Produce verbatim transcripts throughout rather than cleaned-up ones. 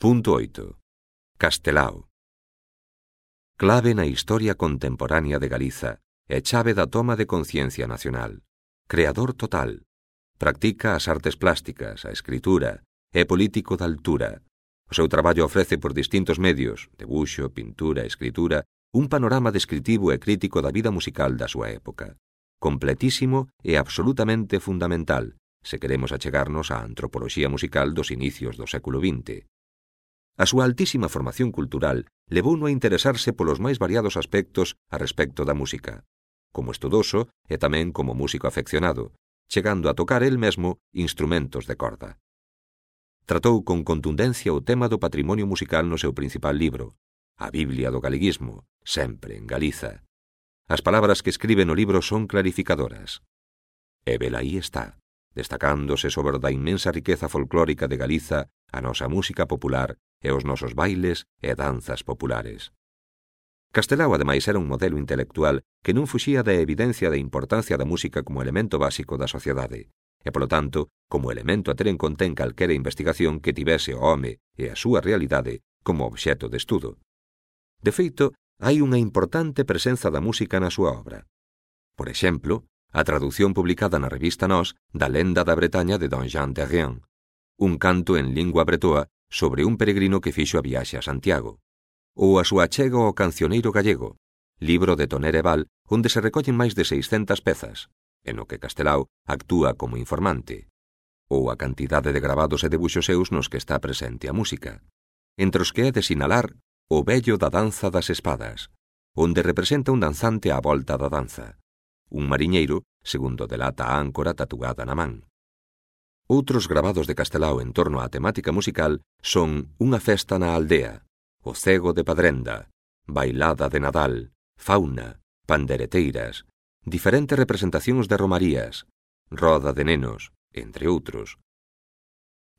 Punto oito. Castelao. Clave na historia contemporánea de Galiza e chave da toma de conciencia nacional. Creador total. Practica as artes plásticas, a escritura, é político de altura. O seu traballo ofrece por distintos medios, debuxo, pintura, escritura, un panorama descritivo e crítico da vida musical da súa época. Completísimo e absolutamente fundamental, se queremos achegarnos á antropoloxía musical dos inicios do século vinte. A súa altísima formación cultural levouno a interesarse polos máis variados aspectos a respecto da música, como estudoso e tamén como músico afeccionado, chegando a tocar el mesmo instrumentos de corda. Tratou con contundencia o tema do patrimonio musical no seu principal libro, A Biblia do Galeguismo, sempre en Galiza. As palabras que escribe no libro son clarificadoras. E velaí está, destacándose sobre da inmensa riqueza folclórica de Galiza a nosa música popular e os nosos bailes e danzas populares. Castelao, ademais, era un modelo intelectual que non fuxía da evidencia da importancia da música como elemento básico da sociedade, e, polo tanto, como elemento a ter en conta en calquera investigación que tivese o home e a súa realidade como obxeto de estudo. De feito, hai unha importante presenza da música na súa obra. Por exemplo, a traducción publicada na revista Nós da Lenda da Bretaña de Don Jean de Rien, un canto en lingua bretoa sobre un peregrino que fixo a viaxe a Santiago, ou a súa achega ao Cancioneiro Gallego, libro de Tonere Val, onde se recollen máis de seiscentas pezas, en o que Castelao actúa como informante, ou a cantidade de gravados e debuxos seus nos que está presente a música, entre os que é de sinalar o vello da danza das espadas, onde representa un danzante á volta da danza, un mariñeiro, segundo delata a áncora tatuada na man. Outros gravados de Castelao en torno á temática musical son Unha festa na aldea, O cego de Padrenda, Bailada de Nadal, Fauna, Pandereteiras, diferentes representacións de romarías, Roda de nenos, entre outros.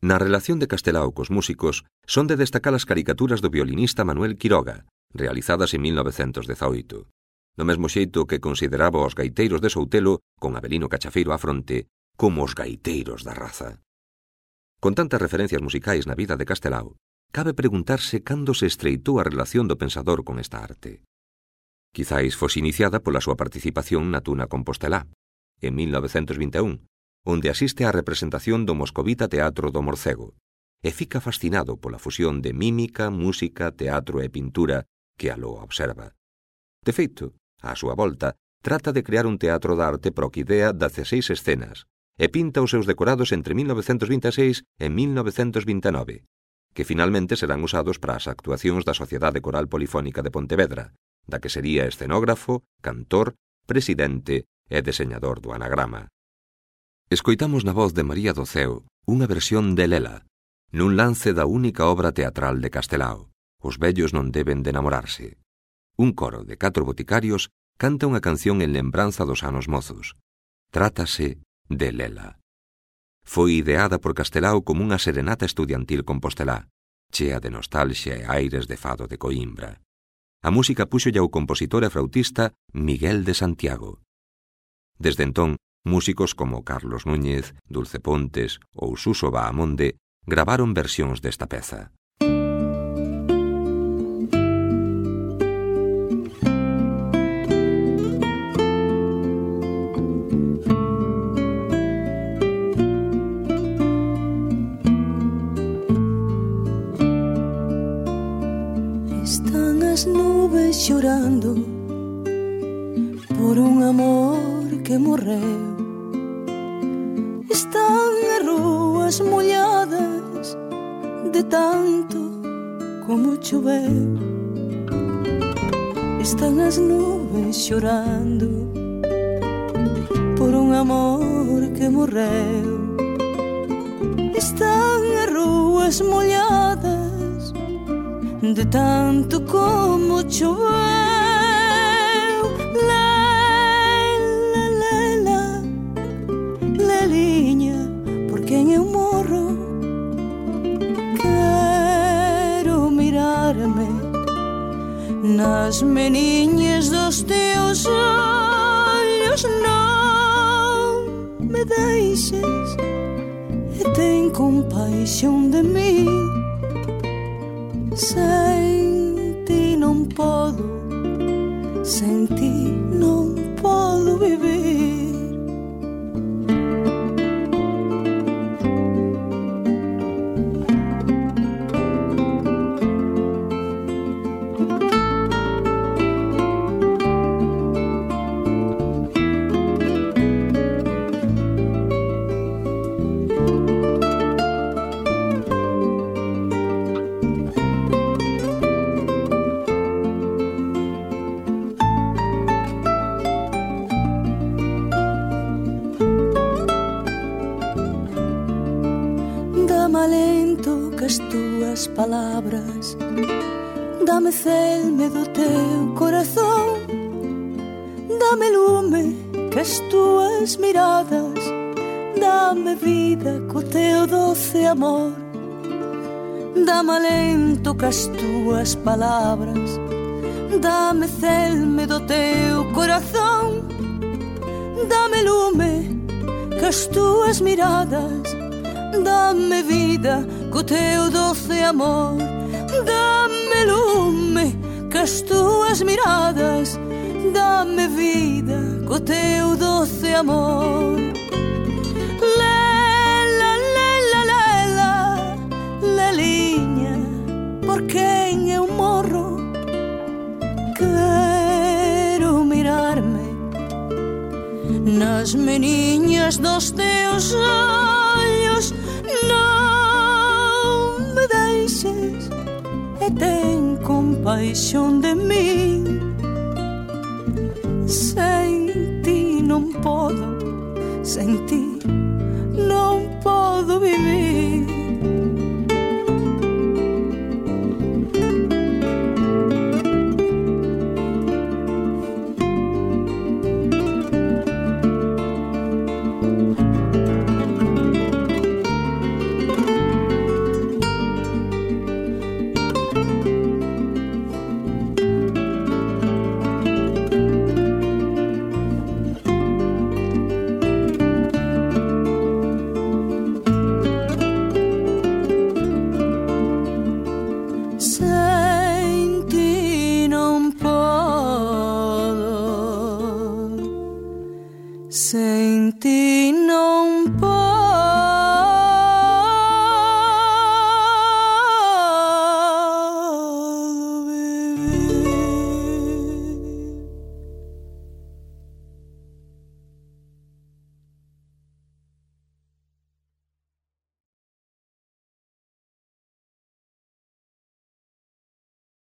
Na relación de Castelao cos músicos son de destacar as caricaturas do violinista Manuel Quiroga, realizadas en mil novecentos dezaoito. Do mesmo xeito que consideraba os gaiteiros de Soutelo, con Avelino Cachafeiro á fronte, como os gaiteiros da raza. Con tantas referencias musicais na vida de Castelao, cabe preguntarse cando se estreitou a relación do pensador con esta arte. Quizáis fose iniciada pola súa participación na Tuna Compostelá, en mil novecentos vinte e un, onde asiste á representación do Moscovita Teatro do Morcego, e fica fascinado pola fusión de mímica, música, teatro e pintura que aló observa. De feito, á súa volta, trata de crear un teatro da arte proquidea de dezasseis escenas, e pinta os seus decorados entre mil novecentos vinte e seis e mil novecentos vinte e nove, que finalmente serán usados para as actuacións da Sociedade Coral Polifónica de Pontevedra, da que sería escenógrafo, cantor, presidente e deseñador do anagrama. Escoitamos na voz de María do Ceo unha versión de Lela, nun lance da única obra teatral de Castelao, Os vellos non deben de namorarse. Un coro de catro boticarios canta unha canción en lembranza dos anos mozos. Trátase de Lela. Foi ideada por Castelao como unha serenata estudiantil compostelá, chea de nostalxia e aires de fado de Coimbra. A música púxolla o compositor e flautista Miguel de Santiago. Desde entón, músicos como Carlos Núñez, Dulce Pontes ou Suso Bahamonde gravaron versións desta peza. Chorando por un amor que morreu. Están as rúas molladas de tanto como choveu. Están as nubes chorando por un amor que morreu. Están as rúas molladas de tanto como choveu. Lela, lela, leliña, por quen eu morro. Quero mirarme nas meniñas dos teus olhos. Non me deixes e ten compaixón de mí. Sen ti non podo, sen ti non podo vivir. Palabras, dame celme do teu corazón, dame lume que as túas miradas, dame vida co teu doce amor, dame alento que as túas palabras, dame celme do teu corazón, dame lume que as túas miradas, dame vida co teu doce amor, dame lume que as túas miradas, dame vida co teu doce amor. Lela, lela, lela, leliña, por quen eu morro, quero mirarme nas meniñas dos teus ollos, non me deixes e ten compaixón de min. Sen ti non podo, sen ti